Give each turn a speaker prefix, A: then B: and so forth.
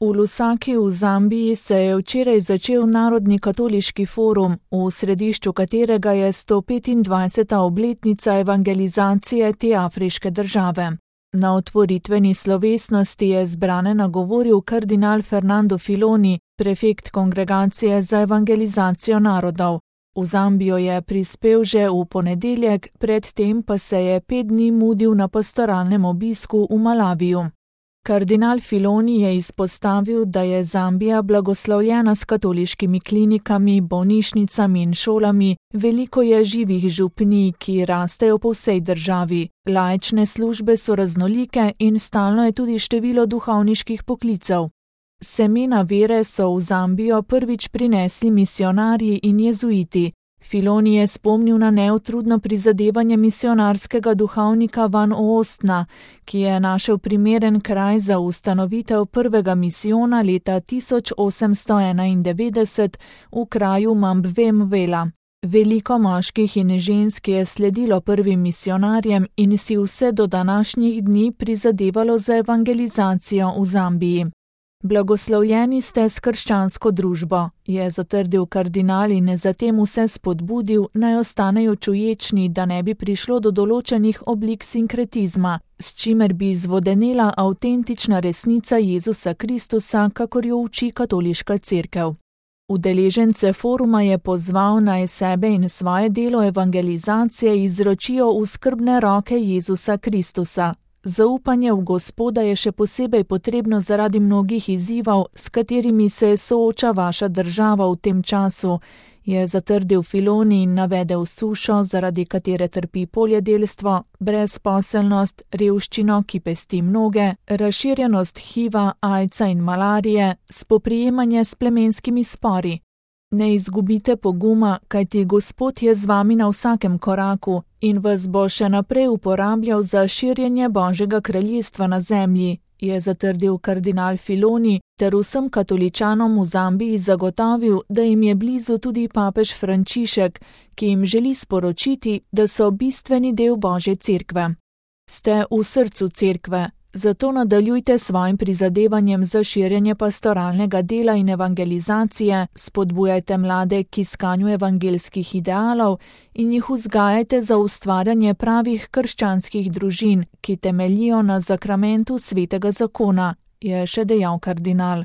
A: V Lusaki v Zambiji se je včeraj začel Narodni katoliški forum, v središču katerega je 125. obletnica evangelizacije te afriške države. Na otvoritveni slovesnosti je zbrane nagovoril kardinal Fernando Filoni, prefekt Kongregacije za evangelizacijo narodov. V Zambijo je prispel že v ponedeljek, predtem pa se je 5 dni mudil na pastoralnem obisku v Malaviju. Kardinal Filoni je izpostavil, da je Zambija blagoslovljena s katoliškimi klinikami, bolnišnicami in šolami, veliko je živih župnij, ki rastejo po vsej državi, laične službe so raznolike in stalno je tudi število duhovniških poklicev. Semena vere so v Zambijo prvič prinesli misionarji in jezuiti. Filoni je spomnil na neutrudno prizadevanje misionarskega duhovnika Van Oostna, ki je našel primeren kraj za ustanovitev prvega misijona leta 1891 v kraju Mambve-Mvela. Veliko moških in žensk je sledilo prvim misionarjem in si vse do današnjih dni prizadevalo za evangelizacijo v Zambiji. Blagoslovljeni ste s krščansko družbo, je zatrdil kardinal in zatem vse spodbudil, naj ostanejo čuječni, da ne bi prišlo do določenih oblik sinkretizma, s čimer bi zvodenela avtentična resnica Jezusa Kristusa, kakor jo uči katoliška cerkev. Udeležence foruma je pozval, naj sebe in svoje delo evangelizacije izročijo v skrbne roke Jezusa Kristusa. Zaupanje v Gospoda je še posebej potrebno zaradi mnogih izzivov, s katerimi se sooča vaša država v tem času, je zatrdil Filoni in navedel sušo, zaradi katere trpi poljedelstvo, brezposelnost, revščino, ki pesti mnoge, razširjenost HIV-a, AIDS-a in malarije, spoprijemanje s plemenskimi spori. Ne izgubite poguma, kajti Gospod je z vami na vsakem koraku in vas bo še naprej uporabljal za širjenje Božjega kraljestva na zemlji, je zatrdil kardinal Filoni ter vsem katoličanom v Zambiji zagotovil, da jim je blizu tudi papež Frančišek, ki jim želi sporočiti, da so bistveni del Božje cerkve. Ste v srcu cerkve. Zato nadaljujte svojim prizadevanjem za širjenje pastoralnega dela in evangelizacije, spodbujajte mlade k iskanju evangelskih idealov in jih vzgajajte za ustvarjanje pravih krščanskih družin, ki temeljijo na zakramentu svetega zakona, je še dejal kardinal.